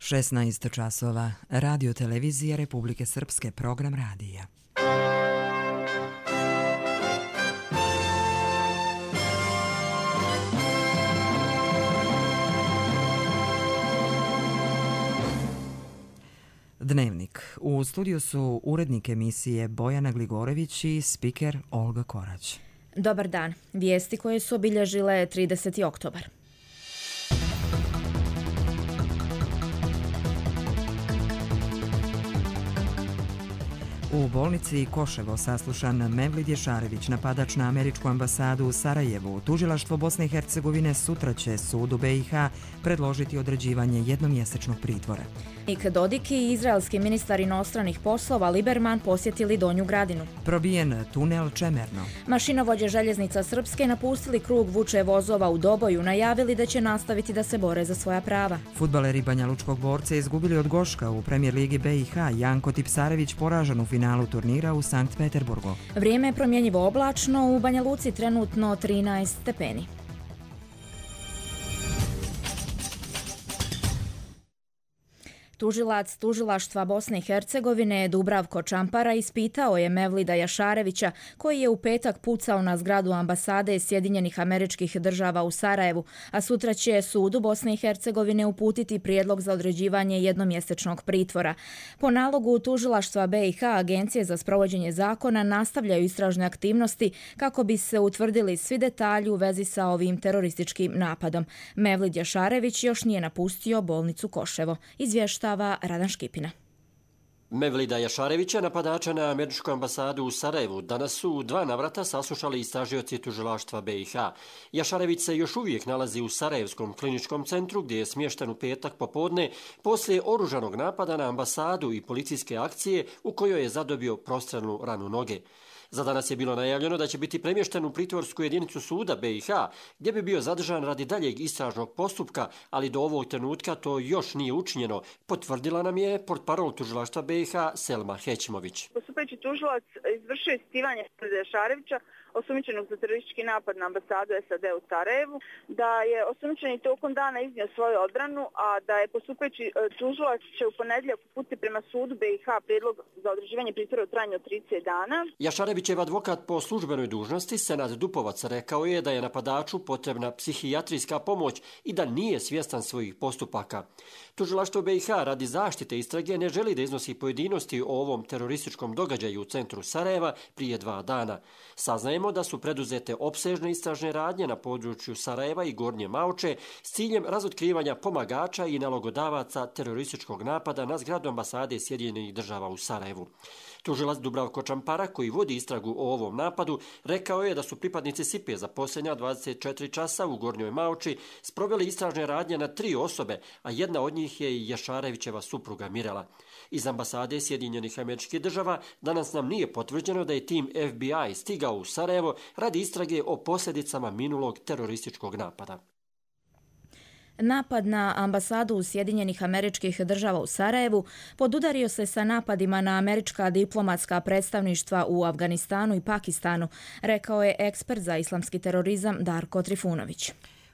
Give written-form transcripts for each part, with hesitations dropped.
16 časova. Radio televizija Republike Srpske, program radija. Dnevnik. U studiju su urednik emisije Bojana Gligorović i spiker Olga Korać. Dobar dan. Vijesti koje su obilježile 30. oktobar. U bolnici Koševo saslušan Mevlid Ješarević, napadač na američku ambasadu u Sarajevu. Tužilaštvo Bosne i Hercegovine sutra će sudu BiH predložiti određivanje jednomjesečnog pritvora. Nik Dodik i izraelski ministar inostranih poslova Liberman posjetili Donju Gradinu. Probijen tunel Čemerno. Mašinovođe željeznica Srpske napustili krug vuče vozova u Doboju, najavili da će nastaviti da se bore za svoja prava. Fudbaleri Banja Lučkog Borca izgubili od Goška u Premijer ligi BiH. Janko Tipsarević poražen u finalu turnira u Sankt Peterburgu. Vrijeme je promjenjivo oblačno, u Banja Luci trenutno 13 stepeni. Tužilac Tužilaštva Bosne i Hercegovine Dubravko Čampara ispitao je Mevlida Jašarevića, koji je u petak pucao na zgradu ambasade Sjedinjenih Američkih Država u Sarajevu, a sutra će sudu Bosne i Hercegovine uputiti prijedlog za određivanje jednomjesečnog pritvora. Po nalogu Tužilaštva BiH, Agencije za sprovođenje zakona nastavljaju istražne aktivnosti kako bi se utvrdili svi detalji u vezi sa ovim terorističkim napadom. Mevlid Jašarević još nije napustio bolnicu Koševo. Izvješta Radan Škipina. Mevlida Jašarevića, napadača na američku ambasadu u Sarajevu, danas su u 2 navrata saslušali istražioci tužilaštva BiH. Jašarević se još uvijek nalazi u Sarajevskom kliničkom centru, gdje je smješten u petak popodne poslije oružanog napada na ambasadu i policijske akcije u kojoj je zadobio prostrelnu ranu noge. Za danas je bilo najavljeno da će biti premješten u pritvorsku jedinicu suda BiH, gdje bi bio zadržan radi daljeg istražnog postupka, ali do ovog trenutka to još nije učinjeno, potvrdila nam je portparol tužilaštva BiH Selma Hećimović. Postupajući tužilac izvršio ispitivanje Jašarevića, osumnjičenog za teroristički napad na ambasadu SAD u Sarajevu, da je osumnjičeni tokom dana iznio svoju odbranu, a da je postupajući tužilac će u ponedjeljak uputiti prema sudu BiH prijedlog za određivanje pritvora u trajanju od 30 dana. Jašarevićev advokat po službenoj dužnosti Senad Dupovac rekao je da je napadaču potrebna psihijatrijska pomoć i da nije svjestan svojih postupaka. Tužilaštvo BiH radi zaštite istrage ne želi da iznosi pojedinosti o ovom terorističkom događaju u centru Sarajeva prije 2 dana. Saznajemo da su preduzete opsežne istražne radnje na području Sarajeva i Gornje Mauče s ciljem razotkrivanja pomagača i nalogodavaca terorističkog napada na zgradu ambasade Sjedinjenih Država u Sarajevu. Tužilac Dubravko Čampara, koji vodi istragu o ovom napadu, rekao je da su pripadnici SIPE za posljednja 24 časa u Gornjoj Mauči sproveli istražne radnje na 3 osobe, a jedna od njih je i Jašarevićeva supruga Mirela. Iz ambasade Sjedinjenih Američkih Država danas nam nije potvrđeno da je tim FBI stigao u Sarajevo radi istrage o posljedicama minulog terorističkog napada. Napad na ambasadu Sjedinjenih Američkih Država u Sarajevu podudario se sa napadima na američka diplomatska predstavništva u Afganistanu i Pakistanu, rekao je ekspert za islamski terorizam Darko Trifunović.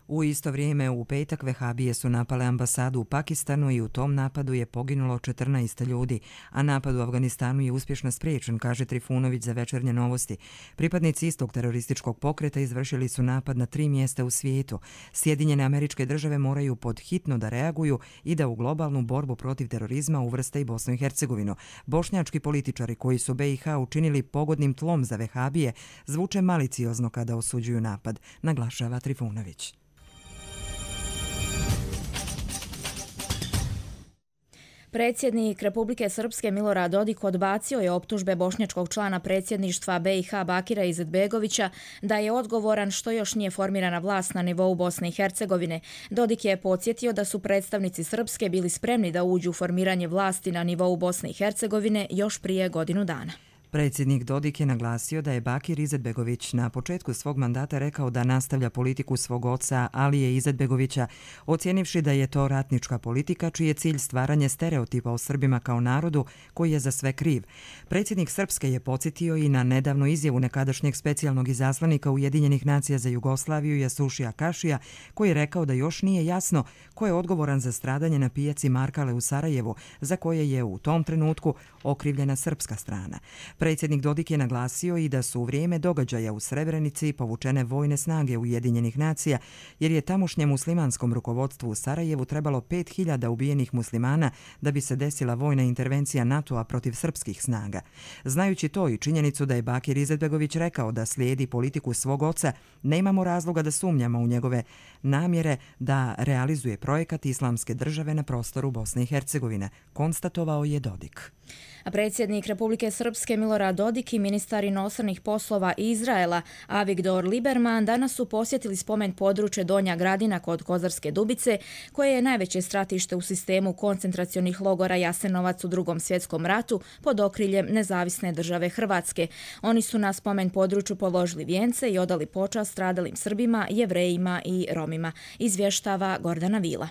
U isto vrijeme u petak vehabije su napale ambasadu u Pakistanu i u tom napadu je poginulo 14 ljudi, a napad u Afganistanu je uspješno spriječen, kaže Trifunović za Večernje novosti. Pripadnici istog terorističkog pokreta izvršili su napad na 3 mjesta u svijetu. Sjedinjene Američke Države moraju podhitno da reaguju i da u globalnu borbu protiv terorizma uvrste i Bosnu i Hercegovinu. Bošnjački političari koji su BiH učinili pogodnim tlom za vehabije zvuče maliciozno kada osuđuju napad, naglašava Trifunović. Predsjednik Republike Srpske Milorad Dodik odbacio je optužbe bošnjačkog člana predsjedništva BiH Bakira Izetbegovića da je odgovoran što još nije formirana vlast na nivou Bosne i Hercegovine. Dodik je podsjetio da su predstavnici Srpske bili spremni da uđu u formiranje vlasti na nivou Bosne i Hercegovine još prije godinu dana. Predsjednik Dodik je naglasio da je Bakir Izetbegović na početku svog mandata rekao da nastavlja politiku svog oca Alije Izetbegovića, ocijenivši da je to ratnička politika čiji je cilj stvaranje stereotipa o Srbima kao narodu koji je za sve kriv. Predsjednik Srpske je podsjetio i na nedavnu izjavu nekadašnjeg specijalnog izaslanika Ujedinjenih nacija za Jugoslaviju Jasušija Kašija, koji je rekao da još nije jasno ko je odgovoran za stradanje na pijaci Markale u Sarajevu, za koje je u tom trenutku okrivljena srpska strana. Predsjednik Dodik je naglasio i da su u vrijeme događaja u Srebrenici povučene vojne snage Ujedinjenih nacija, jer je tamošnjem muslimanskom rukovodstvu u Sarajevu trebalo 5000 ubijenih muslimana da bi se desila vojna intervencija NATO-a protiv srpskih snaga. Znajući to i činjenicu da je Bakir Izetbegović rekao da slijedi politiku svog oca, nemamo razloga da sumnjamo u njegove namjere da realizuje projekat Islamske države na prostoru Bosne i Hercegovine, konstatovao je Dodik. A predsjednik Republike Srpske Milorad Dodik i ministar inostranih poslova Izraela Avigdor Lieberman danas su posjetili spomen područje Donja Gradina kod Kozarske Dubice, koje je najveće stratište u sistemu koncentracionih logora Jasenovac u Drugom svjetskom ratu pod okriljem Nezavisne države Hrvatske. Oni su na spomen području položili vijence i odali počast stradalim Srbima, Jevrejima i Romima, izvještava Gordana Vila.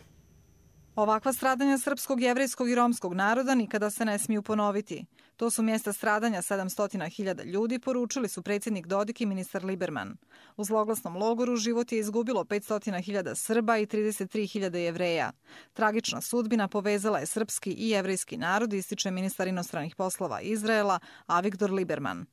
Ovakva stradanja srpskog, jevrejskog i romskog naroda nikada se ne smiju ponoviti. To su mjesta stradanja 700.000 ljudi, poručili su predsjednik Dodik i ministar Lieberman. U zloglasnom logoru život je izgubilo 500.000 Srba i 33.000 Jevreja. Tragična sudbina povezala je srpski i jevrejski narod, ističe ministar inostranih poslova Izraela Avigdor Lieberman.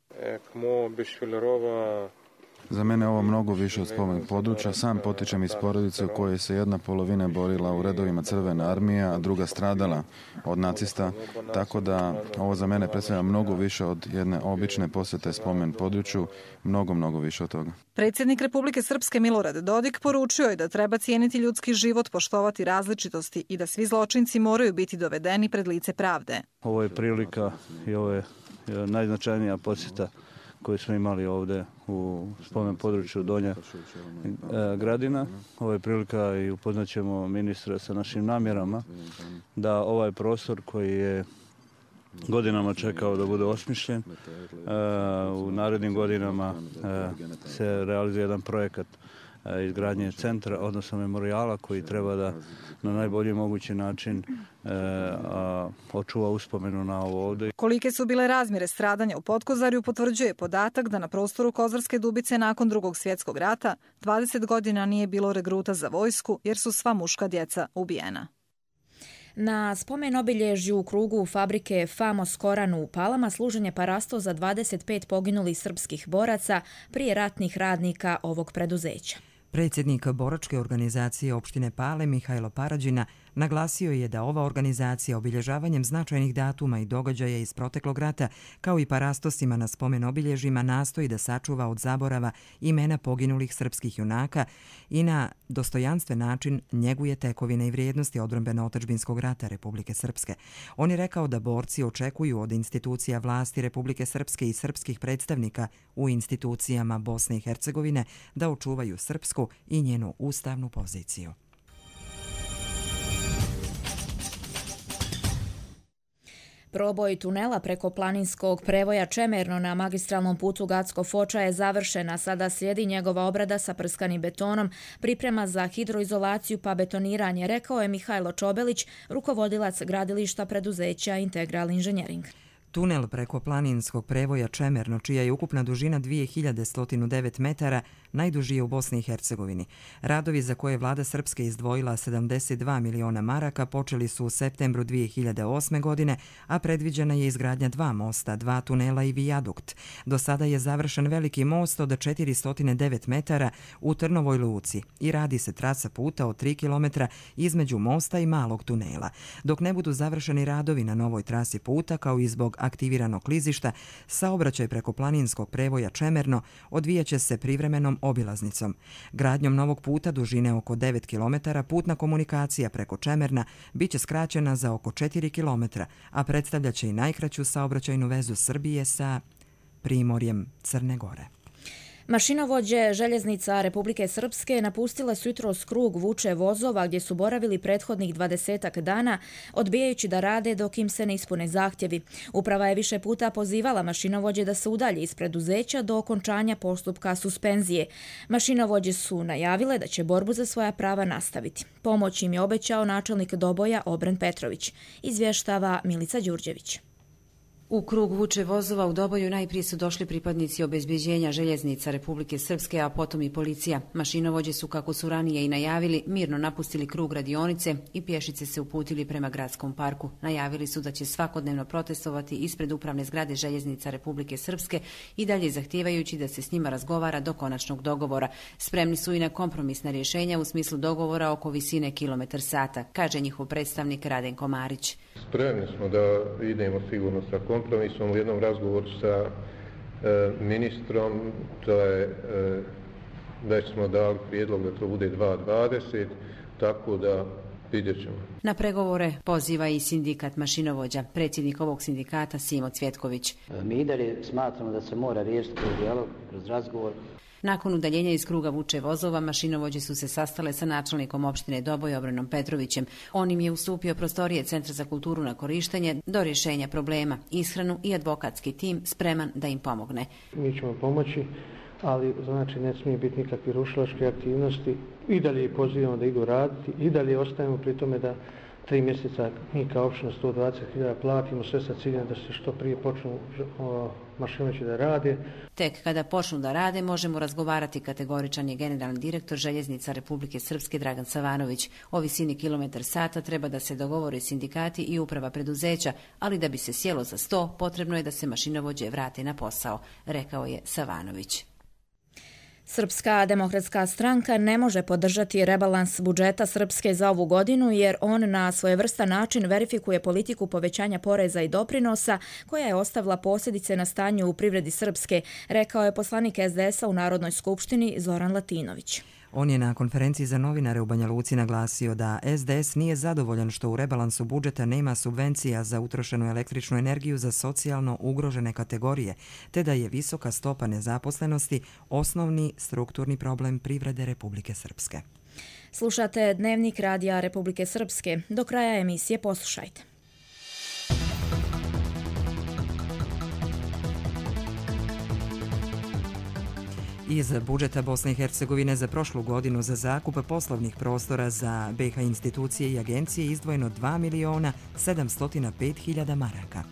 Za mene je ovo mnogo više od spomen područja. Sam potičem iz porodice u kojoj se jedna polovina borila u redovima Crvene armije, a druga stradala od nacista, tako da ovo za mene predstavlja mnogo više od jedne obične posjete spomen području, mnogo više od toga. Predsjednik Republike Srpske Milorad Dodik poručio je da treba cijeniti ljudski život, poštovati različitosti i da svi zločinci moraju biti dovedeni pred lice pravde. Ovo je prilika i ovo je najznačajnija posjeta koju smo imali ovdje u spomen području Donja Gradina. Ovo je prilika i upoznaćemo ministra sa našim namjerama da ovaj prostor koji je godinama čekao da bude osmišljen, u narednim godinama se realizuje jedan projekat izgradnje centra, odnosno memorijala koji treba da na najbolji mogući način očuva uspomenu na ovo ovdje. Kolike su bile razmjere stradanja u Potkozarju potvrđuje podatak da na prostoru Kozarske Dubice nakon Drugog svjetskog rata 20 godina nije bilo regruta za vojsku jer su sva muška djeca ubijena. Na spomen obilježju u krugu fabrike Famos Koranu u Palama služen je parasto za 25 poginulih srpskih boraca prije ratnih radnika ovog preduzeća. Predsjednik boračke organizacije opštine Pale Mihajlo Parađina naglasio je da ova organizacija obilježavanjem značajnih datuma i događaja iz proteklog rata, kao i parastosima na spomen obilježima, nastoji da sačuva od zaborava imena poginulih srpskih junaka i na dostojanstven način njeguje tekovine i vrijednosti odbrambeno-otadžbinskog rata Republike Srpske. On je rekao da borci očekuju od institucija vlasti Republike Srpske i srpskih predstavnika u institucijama Bosne i Hercegovine da očuvaju srpsku i njenu ustavnu poziciju. Proboj tunela preko planinskog prevoja Čemerno na magistralnom putu Gacko-Foča je završena. Sada slijedi njegova obrada sa prskanim betonom, priprema za hidroizolaciju pa betoniranje, rekao je Mihajlo Čobelić, rukovodilac gradilišta preduzeća Integral Inženjering. Tunel preko planinskog prevoja Čemerno, čija je ukupna dužina 2109 metara, najduži je u Bosni i Hercegovini. Radovi za koje vlada Srpske izdvojila 72 miliona maraka počeli su u septembru 2008. godine, a predviđena je izgradnja 2 mosta, 2 tunela i vijadukt. Do sada je završen veliki most od 409 metara u Trnovoj luci i radi se trasa puta od 3 km između mosta i malog tunela. Dok ne budu završeni radovi na novoj trasi puta, kao i zbog aktiviranog klizišta, saobraćaj preko planinskog prevoja Čemerno odvijaće se privremenom obilaznicom. Gradnjom novog puta dužine oko 9 km putna komunikacija preko Čemerna biće skraćena za oko 4 km, a predstavljaće i najkraću saobraćajnu vezu Srbije sa primorjem Crne Gore. Mašinovođe željeznica Republike Srpske napustile su jutros krug vuče vozova gdje su boravili prethodnih 20 dana, odbijajući da rade dok im se ne ispune zahtjevi. Uprava je više puta pozivala mašinovođe da se udalje iz preduzeća do okončanja postupka suspenzije. Mašinovođe su najavile da će borbu za svoja prava nastaviti. Pomoć im je obećao načelnik Doboja Obren Petrović, izvještava Milica Đurđević. U krug vuče vozova u Doboju najprije su došli pripadnici obezbeđenja željeznica Republike Srpske, a potom i policija. Mašinovođe su, kako su ranije i najavili, mirno napustili krug radionice i pješice se uputili prema gradskom parku. Najavili su da će svakodnevno protestovati ispred upravne zgrade željeznica Republike Srpske i dalje zahtijevajući da se s njima razgovara do konačnog dogovora. Spremni su i na kompromisna rješenja u smislu dogovora oko visine kilometar sata, kaže njihov predstavnik Radenko Marić. Spremni smo da idemo sigurno sa kompromisom. U jednom razgovoru sa ministrom već smo dali prijedlog da to bude 2.20, tako da vidjet ćemo. Na pregovore poziva i sindikat mašinovođa, predsjednik ovog sindikata Simo Cvjetković. Mi i dalje smatramo da se mora riješiti kroz dijalog, kroz razgovor. Nakon udaljenja iz kruga vuče vozova, mašinovođe su se sastale sa načelnikom opštine Doboj Obrenom Petrovićem. On im je ustupio prostorije Centra za kulturu na korištenje do rješenja problema, ishranu i advokatski tim spreman da im pomogne. Mi ćemo pomoći, ali znači ne smije biti nikakve rušilačke aktivnosti. I dalje pozivamo da idu raditi, i dalje ostajemo pri tome da 3 mjeseca mi kao opština 120.000 platimo, sve sa ciljem da se što prije počnu mašinovođe da rade. Tek kada počnu da rade možemo razgovarati, kategoričan je generalni direktor željeznica Republike Srpske Dragan Savanović. O visini kilometar sata treba da se dogovore sindikati i uprava preduzeća, ali da bi se sjelo za sto, potrebno je da se mašinovođe vrate na posao, rekao je Savanović. Srpska demokratska stranka ne može podržati rebalans budžeta Srpske za ovu godinu jer on na svojevrstan način verifikuje politiku povećanja poreza i doprinosa koja je ostavila posljedice na stanju u privredi Srpske, rekao je poslanik SDS-a u Narodnoj skupštini Zoran Latinović. On je na konferenciji za novinare u Banja Luci naglasio da SDS nije zadovoljan što u rebalansu budžeta nema subvencija za utrošenu električnu energiju za socijalno ugrožene kategorije, te da je visoka stopa nezaposlenosti osnovni strukturni problem privrede Republike Srpske. Slušate Dnevnik radija Republike Srpske. Do kraja emisije poslušajte. Iz budžeta Bosne i Hercegovine za prošlu godinu za zakup poslovnih prostora za BiH institucije i agencije izdvojeno 2.705.000 maraka.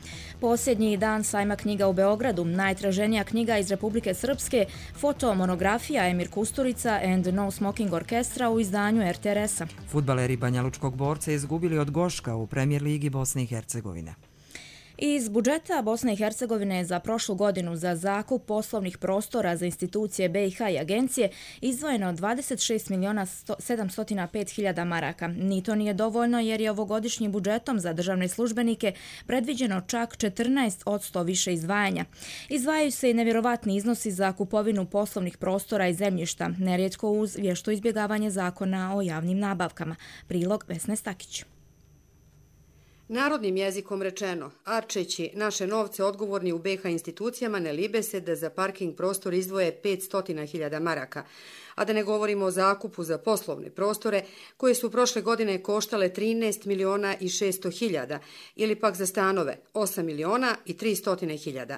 Posljednji dan sajma knjiga u Beogradu, najtraženija knjiga iz Republike Srpske, fotomonografija Emir Kusturica and No Smoking Orkestra u izdanju RTRS-a. Fudbaleri Banjalučkog Borca izgubili od Goška u Premijer ligi Bosne i Hercegovine. Iz budžeta Bosne i Hercegovine za prošlu godinu za zakup poslovnih prostora za institucije BiH i agencije izdvojeno 26.705.000 maraka. Ni to nije dovoljno jer je ovogodišnjim budžetom za državne službenike predviđeno čak 14% više izdvajanja. Izdvajaju se i nevjerovatni iznosi za kupovinu poslovnih prostora i zemljišta, nerijetko uz vješto izbjegavanje zakona o javnim nabavkama. Prilog Vesne Stakić. Narodnim jezikom rečeno, arčeći naše novce odgovorni u BiH institucijama ne libe se da za parking prostor izdvoje 500.000 maraka, a da ne govorimo o zakupu za poslovne prostore koje su prošle godine koštale 13.600.000 ili pak za stanove 8.300.000.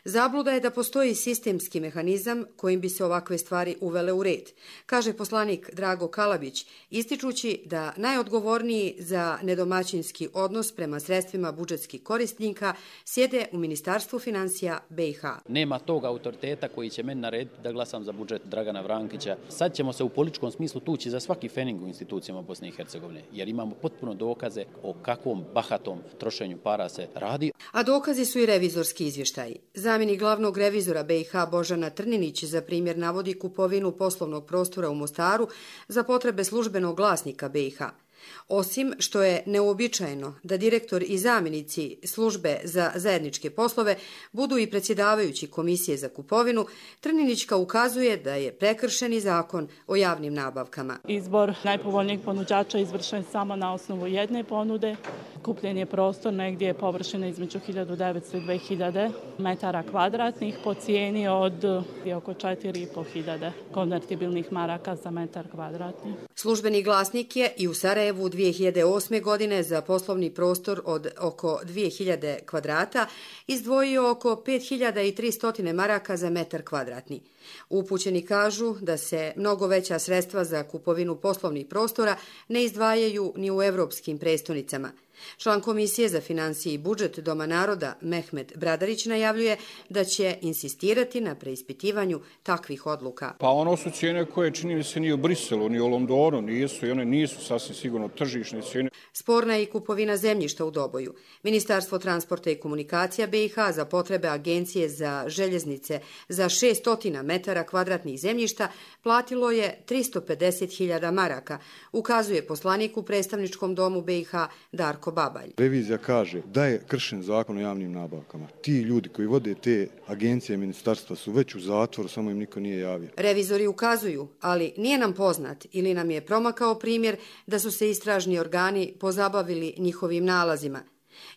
Zabluda je da postoji sistemski mehanizam kojim bi se ovakve stvari uvele u red, kaže poslanik Drago Kalabić, ističući da najodgovorniji za nedomaćinski odnos prema sredstvima budžetskih korisnika sjede u Ministarstvu financija BiH. Nema tog autoriteta koji će meni narediti da glasam za budžet Dragana Vrankića. Sad ćemo se u političkom smislu tući za svaki fening u institucijama Bosne i Hercegovine, jer imamo potpuno dokaze o kakvom bahatom trošenju para se radi. A dokazi su i revizorski izvještaji. Zamjenik glavnog revizora BiH Božana Trninić za primjer navodi kupovinu poslovnog prostora u Mostaru za potrebe službenog glasnika BiH. Osim što je neuobičajeno da direktor i zamjenici službe za zajedničke poslove budu i predsjedavajući komisije za kupovinu, Trninićka ukazuje da je prekršen i zakon o javnim nabavkama. Izbor najpovoljnijeg ponuđača izvršen samo na osnovu jedne ponude. Kupljen je prostor negdje površine između 1900 i 2000 metara kvadratnih po cijeni od oko 4500 konvertibilnih maraka za metar kvadratni. Službeni glasnik je i u Sarajevu 2008. godine za poslovni prostor od oko 2000 kvadrata izdvojio oko 5300 maraka za metar kvadratni. Upućeni kažu da se mnogo veća sredstva za kupovinu poslovnih prostora ne izdvajaju ni u evropskim prestonicama. Član Komisije za financije i budžet Doma naroda Mehmet Bradarić najavljuje da će insistirati na preispitivanju takvih odluka. Pa ono su cijene koje čini mi se ni u Briselu, ni u Londonu nisu i one nisu sasvim sigurno tržišne cijene. Sporna je i kupovina zemljišta u Doboju. Ministarstvo transporta i komunikacija BiH za potrebe Agencije za željeznice za 600 metara kvadratnih zemljišta platilo je 350.000 maraka, ukazuje poslanik u predstavničkom domu BiH Darko Babalj. Revizija kaže da je kršen zakon o javnim nabavkama. Ti ljudi koji vode te agencije i ministarstva su već u zatvoru, samo im niko nije javio. Revizori ukazuju, ali nije nam poznat ili nam je promakao primjer da su se istražni organi pozabavili njihovim nalazima.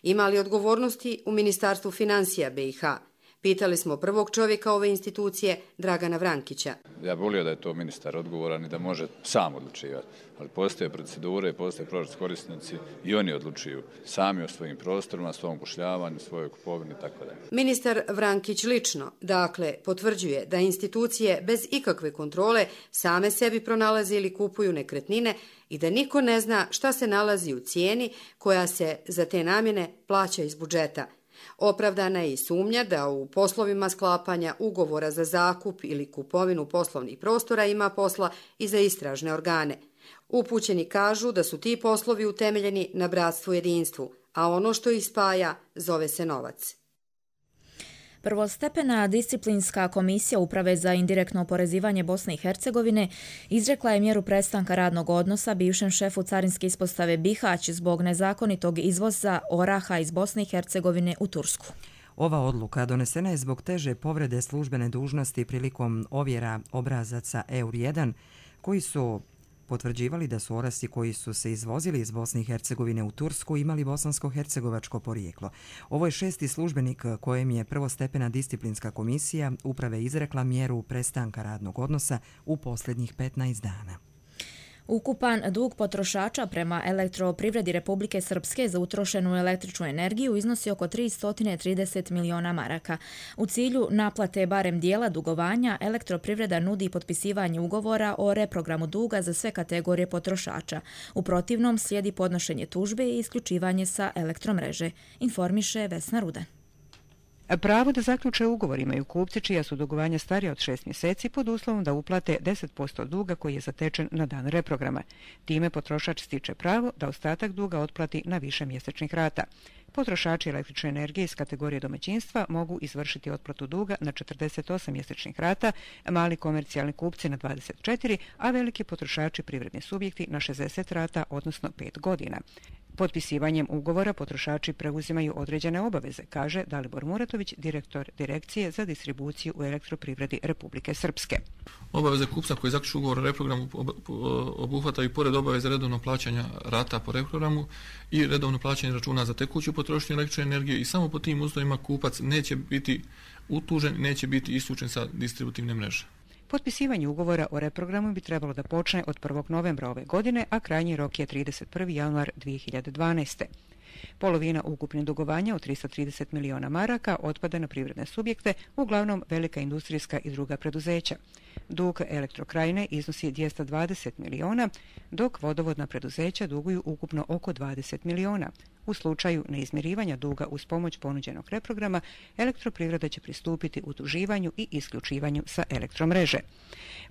Ima li odgovornosti u Ministarstvu financija BiH? Pitali smo prvog čovjeka ove institucije, Dragana Vrankića. Ja bih volio da je to ministar odgovoran i da može sam odlučivati, ali postoje procedure, postoje proračunski korisnici i oni odlučuju sami o svojim prostorima, svom upošljavanju, svojoj kupovini i tako dalje. Ministar Vrankić lično, dakle, potvrđuje da institucije bez ikakve kontrole same sebi pronalaze ili kupuju nekretnine i da niko ne zna šta se nalazi u cijeni koja se za te namjene plaća iz budžeta. Opravdana je i sumnja da u poslovima sklapanja ugovora za zakup ili kupovinu poslovnih prostora ima posla i za istražne organe. Upućeni kažu da su ti poslovi utemeljeni na bratstvu i jedinstvu, a ono što ih spaja zove se novac. Prvostepena disciplinska komisija Uprave za indirektno oporezivanje Bosne i Hercegovine izrekla je mjeru prestanka radnog odnosa bivšem šefu carinske ispostave Bihać zbog nezakonitog izvoza oraha iz Bosne i Hercegovine u Tursku. Ova odluka donesena je zbog teže povrede službene dužnosti prilikom ovjera obrazaca EUR1 koji su potvrđivali da su orasi koji su se izvozili iz Bosne i Hercegovine u Tursku imali bosansko-hercegovačko porijeklo. Ovo je 6. službenik kojem je prvostepena disciplinska komisija Uprave izrekla mjeru prestanka radnog odnosa u posljednjih 15 dana. Ukupan dug potrošača prema Elektroprivredi Republike Srpske za utrošenu električnu energiju iznosi oko 330 miliona maraka. U cilju naplate barem dijela dugovanja, Elektroprivreda nudi potpisivanje ugovora o reprogramu duga za sve kategorije potrošača. U protivnom slijedi podnošenje tužbe i isključivanje sa elektromreže, informiše Vesna Rudan. Pravo da zaključe ugovor imaju kupci čija su dugovanja starija od 6 mjeseci pod uslovom da uplate 10% duga koji je zatečen na dan reprograma. Time potrošač stiče pravo da ostatak duga otplati na više mjesečnih rata. Potrošači električne energije iz kategorije domaćinstva mogu izvršiti otplatu duga na 48 mjesečnih rata, mali komercijalni kupci na 24, a veliki potrošači privredni subjekti na 60 rata, odnosno 5 godina. Potpisivanjem ugovora potrošači preuzimaju određene obaveze, kaže Dalibor Muratović, direktor Direkcije za distribuciju u Elektroprivredi Republike Srpske. Obaveze kupca koji zaključi ugovor o reprogramu obuhvataju pored obaveze redovnog plaćanja rata po reprogramu i redovno plaćanje računa za tekuću potrošnju električne energije i samo po tim uslovima kupac neće biti utužen, neće biti isključen sa distributivne mreže. Potpisivanje ugovora o reprogramu bi trebalo da počne od 1. novembra ove godine, a krajnji rok je 31. januar 2012. Polovina ukupnih dugovanja od 330 miliona maraka otpada na privredne subjekte, uglavnom velika industrijska i druga preduzeća. Dug Elektrokrajine iznosi 220 miliona, dok vodovodna preduzeća duguju ukupno oko 20 miliona. U slučaju neizmirivanja duga uz pomoć ponuđenog reprograma, Elektroprivreda će pristupiti utuživanju i isključivanju sa elektromreže.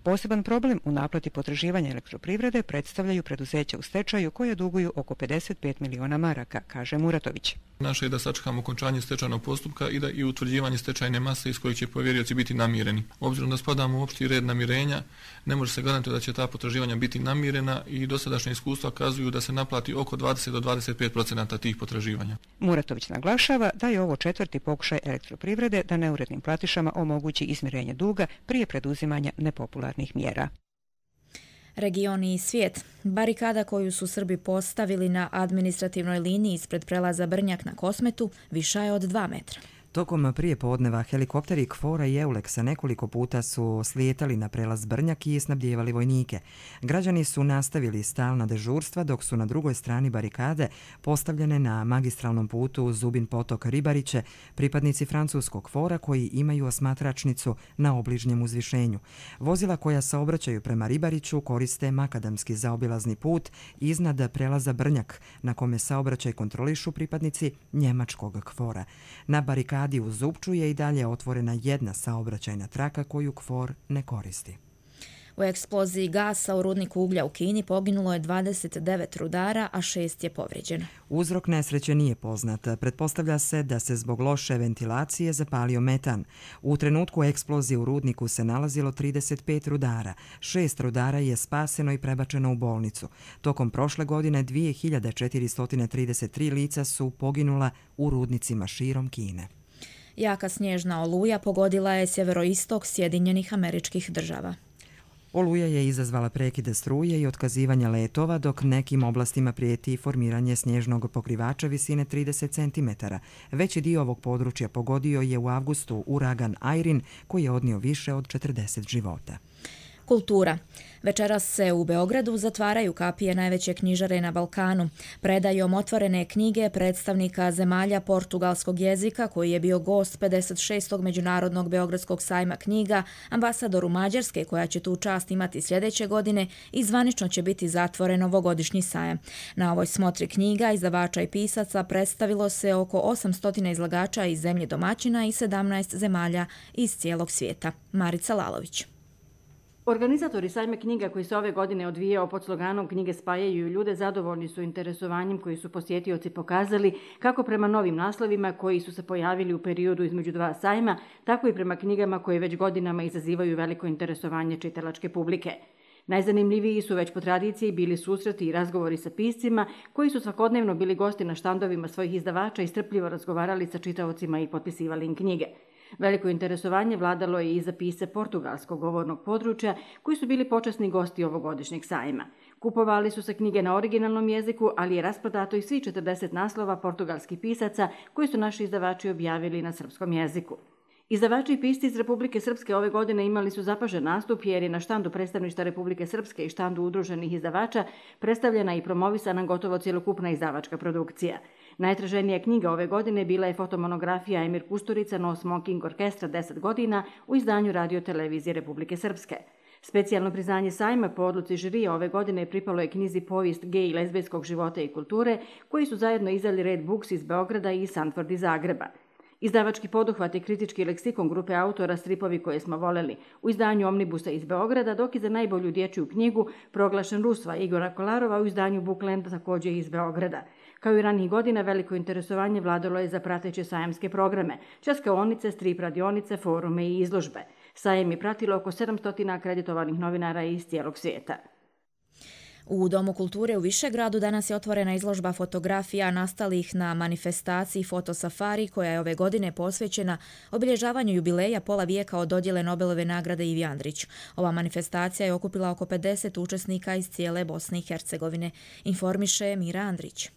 Poseban problem u naplati potraživanja Elektroprivrede predstavljaju preduzeća u stečaju koje duguju oko 55 miliona maraka, kaže Muratović. Naše je da sačekamo okončanje stečajnog postupka i utvrđivanje stečajne mase iz kojih će povjerioci biti namireni. Obzirom da spadamo u opšti red namirenja, ne može se garantovati da će ta potraživanja biti namirena i dosadašnje iskustva kazuju da se naplati oko 20 do 25% tih potraživanja. Muratović naglašava da je ovo 4. pokušaj Elektroprivrede da neurednim platišama omogući izmirenje duga prije preduzimanja nepopularnih mjera. Regioni i svijet. Barikada koju su Srbi postavili na administrativnoj liniji ispred prelaza Brnjak na Kosmetu viša je od 2 metra. Tokom prije podneva helikopteri KFOR-a i EULEX-a nekoliko puta su slijetali na prelaz Brnjak i snabdijevali vojnike. Građani su nastavili stalna dežurstva dok su na drugoj strani barikade postavljene na magistralnom putu Zubin potok Ribariće pripadnici francuskog KFOR-a koji imaju osmatračnicu na obližnjem uzvišenju. Vozila koja saobraćaju prema Ribariću koriste makadamski zaobilazni put iznad prelaza Brnjak na kome saobraćaj kontrolišu pripadnici njemačkog KFOR-a. Na barikadi u Zupču je i dalje otvorena jedna saobraćajna traka koju KFOR ne koristi. U eksploziji gasa u rudniku uglja u Kini poginulo je 29 rudara, a 6 je povrijeđeno. Uzrok nesreće nije poznat. Pretpostavlja se da se zbog loše ventilacije zapalio metan. U trenutku eksplozije u rudniku se nalazilo 35 rudara. 6 rudara je spaseno i prebačeno u bolnicu. Tokom prošle godine 2433 lica su poginula u rudnicima širom Kine. Jaka snježna oluja pogodila je sjeveroistok Sjedinjenih Američkih Država. Oluja je izazvala prekide struje i otkazivanja letova, dok nekim oblastima prijeti formiranje snježnog pokrivača visine 30 cm. Veći dio ovog područja pogodio je u avgustu uragan Irene, koji je odnio više od 40 života. Kultura. Večeras se u Beogradu zatvaraju kapije najveće knjižare na Balkanu. Predajom otvorene knjige predstavnika zemalja portugalskog jezika, koji je bio gost 56. Međunarodnog Beogradskog sajma knjiga, ambasadoru Mađarske, koja će tu čast imati sljedeće godine, i zvanično će biti zatvoren ovogodišnji sajam. Na ovoj smotri knjiga, izdavača i pisaca predstavilo se oko 800 izlagača iz zemlje domaćina i 17 zemalja iz cijelog svijeta. Marica Lalović. Organizatori sajma knjiga koji se ove godine odvijao pod sloganom Knjige spajaju ljude zadovoljni su interesovanjem koji su posjetioci pokazali kako prema novim naslovima koji su se pojavili u periodu između dva sajma, tako i prema knjigama koje već godinama izazivaju veliko interesovanje čitalačke publike. Najzanimljiviji su već po tradiciji bili susreti i razgovori sa piscima koji su svakodnevno bili gosti na štandovima svojih izdavača i strpljivo razgovarali sa čitaocima i potpisivali im knjige. Veliko interesovanje vladalo je i za pisce portugalskog govornog područja koji su bili počasni gosti ovogodišnjeg sajma. Kupovali su se knjige na originalnom jeziku, ali je rasprodato i svi 40 naslova portugalskih pisaca koji su naši izdavači objavili na srpskom jeziku. Izdavači i pisci iz Republike Srpske ove godine imali su zapažen nastup jer je na štandu predstavništva Republike Srpske i štandu udruženih izdavača predstavljena i promovisana gotovo cjelokupna izdavačka produkcija. Najtraženija knjiga ove godine bila je fotomonografija Emir Kusturica No Smoking Orkestra 10 godina u izdanju Radio televizije Republike Srpske. Specijalno priznanje sajma po odluci žirija ove godine pripalo je knjizi Povijest gej i lezbijskog života i kulture, koji su zajedno izdali Red Books iz Beograda i Sanford iz Zagreba. Izdavački poduhvat i kritički leksikon grupe autora Stripovi koje smo voleli u izdanju Omnibusa iz Beograda, dok je za najbolju dječju knjigu proglašen Rusva Igora Kolarova u izdanju Bookland također iz Beograda. Kao i ranih godina, veliko interesovanje vladalo je za prateće sajamske programe, časkaonice, strip radionice, forume i izložbe. Sajem je pratilo oko 700 akreditovanih novinara iz cijelog svijeta. U Domu kulture u Višegradu danas je otvorena izložba fotografija nastalih na manifestaciji Fotosafari, koja je ove godine posvećena obilježavanju jubileja pola vijeka od dodjele Nobelove nagrade Ivi Andriću. Ova manifestacija je okupila oko 50 učesnika iz cijele Bosne i Hercegovine, informiše Mira Andrić.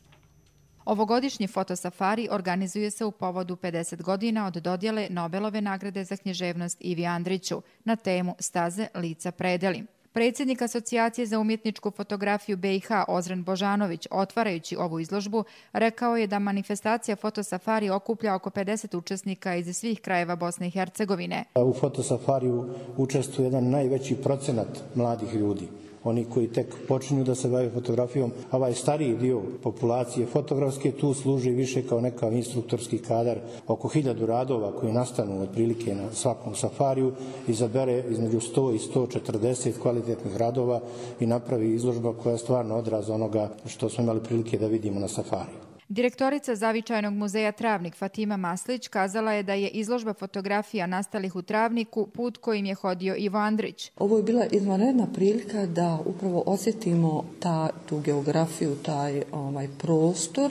Ovogodišnji fotosafari organizuje se u povodu 50 godina od dodjele Nobelove nagrade za književnost Ivi Andriću na temu Staze, lica, predeli. Predsjednik Asocijacije za umjetničku fotografiju BiH Ozren Božanović, otvarajući ovu izložbu, rekao je da manifestacija Fotosafari okuplja oko 50 učesnika iz svih krajeva Bosne i Hercegovine. U Fotosafariju učestvuje jedan najveći procenat mladih ljudi. Oni koji tek počinju da se bave fotografijom, a ovaj stariji dio populacije fotografske tu služi više kao nekav instruktorski kadar. Oko 1000 radova koji nastanu otprilike na svakom safariju izabere između 100 i 140 kvalitetnih radova i napravi izložba koja je stvarno odraz onoga što smo imali prilike da vidimo na safariju. Direktorica Zavičajnog muzeja Travnik Fatima Maslić kazala je da je izložba fotografija nastalih u Travniku put kojim je hodio Ivo Andrić. Ovo je bila izvanredna prilika da upravo osjetimo tu geografiju, taj prostor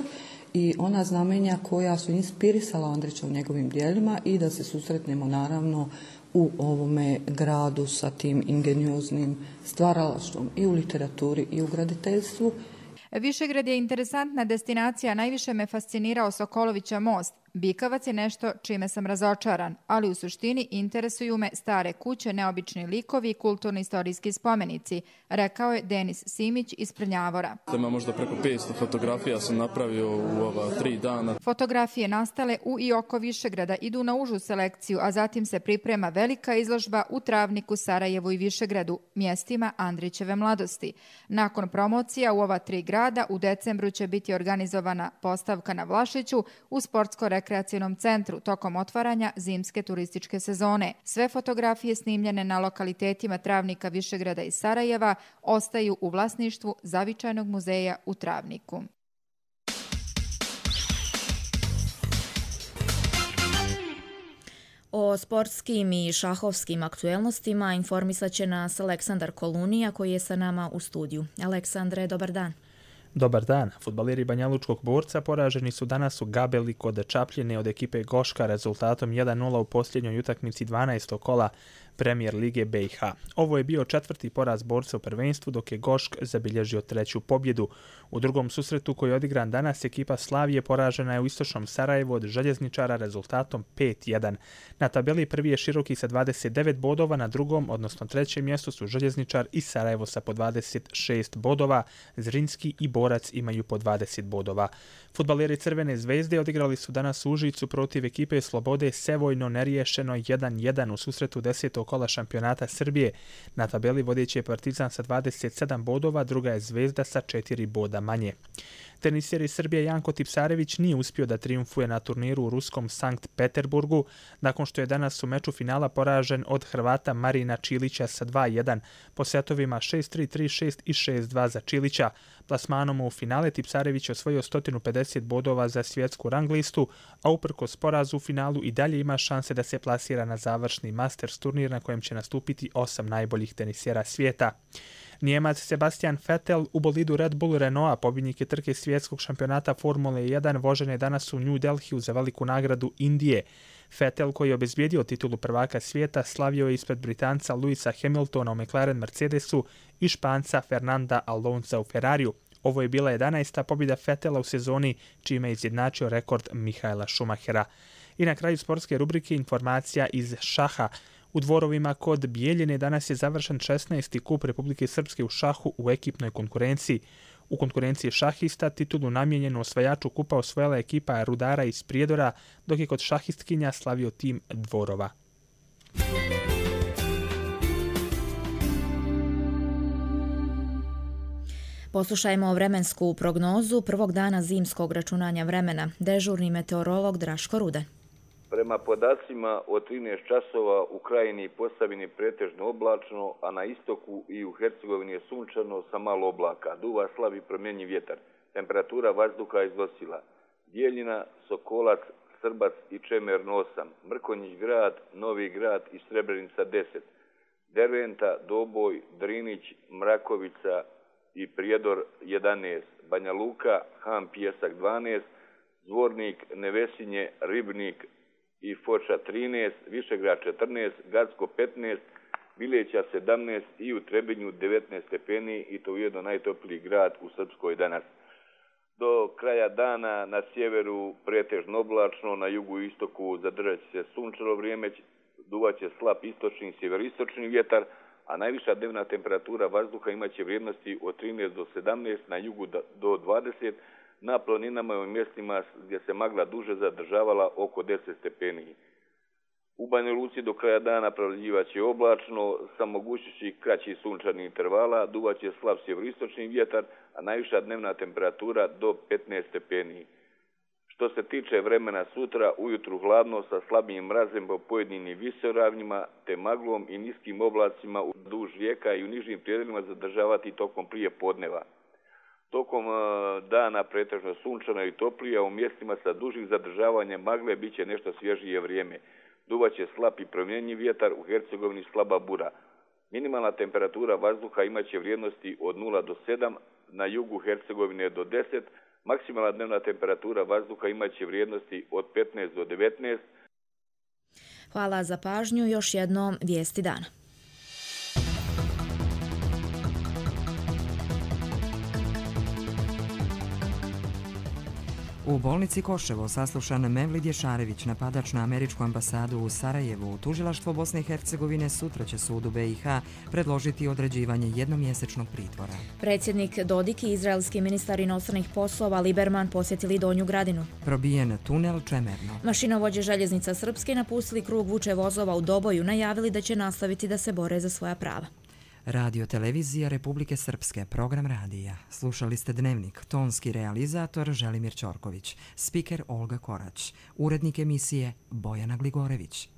i ona znamenja koja su inspirisala Andrića u njegovim dijelima i da se susretnemo naravno u ovome gradu sa tim ingenioznim stvaralaštvom i u literaturi i u graditeljstvu. Višegrad je interesantna destinacija, najviše me fascinirao Sokolovića most. Bikavac je nešto čime sam razočaran, ali u suštini interesuju me stare kuće, neobični likovi i kulturno-istorijski spomenici, rekao je Denis Simić iz Prnjavora. Ima možda preko 500 fotografija sam napravio u ova 3 dana. Fotografije nastale u i oko Višegrada idu na užu selekciju, a zatim se priprema velika izložba u Travniku, Sarajevu i Višegradu, mjestima Andrićeve mladosti. Nakon promocija u ova 3 grada u decembru će biti organizovana postavka na Vlašiću u sportsko-rekreacionom centru tokom otvaranja zimske turističke sezone. Sve fotografije snimljene na lokalitetima Travnika, Višegrada i Sarajeva ostaju u vlasništvu Zavičajnog muzeja u Travniku. O sportskim i šahovskim aktuelnostima informisat će nas Aleksandar Kolunija koji je sa nama u studiju. Aleksandre, dobar dan. Dobar dan. Fudbaleri Banjalučkog Borca poraženi su danas u Gabeli kod Čapljine od ekipe Goška rezultatom 1:0 u posljednjoj utakmici 12. kola Premijer Lige BiH. Ovo je bio 4. poraz Borca u prvenstvu, dok je Gošk zabilježio 3. pobjedu. U drugom susretu koji je odigran danas, ekipa Slavije poražena je u istočnom Sarajevu od Željezničara rezultatom 5:1. Na tabeli prvi je Široki sa 29 bodova, na drugom, odnosno trećem mjestu su Željezničar i Sarajevo sa po 26 bodova. Zrinski i Borac imaju po 20 bodova. Fudbaleri Crvene zvezde odigrali su danas u Užicu protiv ekipe Slobode Sevojno neriješeno 1:1 u susretu 10. kola šampionata Srbije. Na tabeli vodeći je Partizan sa 27 bodova, druga je Zvezda sa 4 boda manje. Teniser iz Srbije Janko Tipsarević nije uspio da trijumfuje na turniru u ruskom Sankt Peterburgu, nakon što je danas u meču finala poražen od Hrvata Marina Čilića sa 2:1 po setovima 6-3, 3-6 i 6-2 za Čilića. Plasmanom u finale Tipsarević osvojio 150 bodova za svjetsku rang listu, a uprkos porazu u finalu i dalje ima šanse da se plasira na završni Masters turnir na kojem će nastupiti 8 najboljih tenisera svijeta. Nijemac Sebastian Vettel u bolidu Red Bull Renaulta, pobjednik je trke svjetskog šampionata Formule 1, vožen je danas u New Delhiju za veliku nagradu Indije. Vettel, koji je obezbijedio titulu prvaka svijeta, slavio je ispred Britanca Louisa Hamiltona u McLaren Mercedesu i Španca Fernanda Alonsa u Ferrariju. Ovo je bila 11. pobjeda Vettela u sezoni, čime je izjednačio rekord Michaela Schumachera. I na kraju sportske rubrike informacija iz šaha. U Dvorovima kod Bijeljine danas je završen 16. kup Republike Srpske u šahu u ekipnoj konkurenciji. U konkurenciji šahista titulu namijenjenu osvajaču kupa osvojila ekipa Rudara iz Prijedora, dok je kod šahistkinja slavio tim Dvorova. Poslušajmo vremensku prognozu prvog dana zimskog računanja vremena. Dežurni meteorolog Draško Rude. Prema podacima od 13 časova u Krajini i Posavini pretežno oblačno, a na istoku i u Hercegovini je sunčano sa malo oblaka. Duva slabi promjenjiv vjetar. Temperatura vazduha iznosila Bijeljina, Sokolac, Srbac i Čemerno 8, Mrkonjić grad, Novi grad i Srebrenica 10, Derventa, Doboj, Drinić, Mrakovica i Prijedor 11, Banja Luka, Han Pijesak 12, Zvornik, Nevesinje, Ribnik i Foča 13, Višegrad 14, Gacko 15, Bileća 17 i u Trebinju 19 stepeni i to ujedno najtopliji grad u Srpskoj danas. Do kraja dana na sjeveru pretežno oblačno, na jugu i istoku zadržat će se sunčano vrijeme, duvaće slab istočni i sjeveristočni vjetar, a najviša dnevna temperatura vazduha imaće vrijednosti od 13 do 17, na jugu do 20, na planinama i u mjestima gdje se magla duže zadržavala oko 10 stepeni. U Banja Luci do kraja dana prevladjivaće oblačno, sa mogućnosti kraćih sunčanih intervala, duvaće slab sjeveristočni vjetar, a najviša dnevna temperatura do 15 stepeni. Što se tiče vremena sutra, ujutru hladno sa slabijim mrazem po pojedinim visoravnjima, te maglom i niskim oblacima duž rijeka i u nižim prijedjelima zadržavati tokom prije podneva. Tokom dana pretežno sunčano i toplije, a u mjestima sa dužim zadržavanjem magle bit će nešto svježije vrijeme. Duvaće slab i promjenjiv vjetar, u Hercegovini slaba bura. Minimalna temperatura vazduha imaće vrijednosti od 0 do 7, na jugu Hercegovine do 10, maksimalna dnevna temperatura vazduha imaće vrijednosti od 15 do 19. Hvala za pažnju, još jednom vijesti dana. U bolnici Koševo saslušan Mevlid Ješarević, napadač na američku ambasadu u Sarajevu. Tužilaštvo Bosne i Hercegovine sutra će sudu BiH predložiti određivanje jednomjesečnog pritvora. Predsjednik Dodik i izraelski ministar inostranih poslova Liberman posjetili Donju Gradinu. Probijen tunel Čemerno. Mašinovođe željeznica Srpske napustili krug vuče vozova u Doboju, najavili da će nastaviti da se bore za svoja prava. Radio Televizija Republike Srpske, program radija. Slušali ste Dnevnik, tonski realizator Želimir Ćorković, spiker Olga Korać, urednik emisije Bojana Gligorević.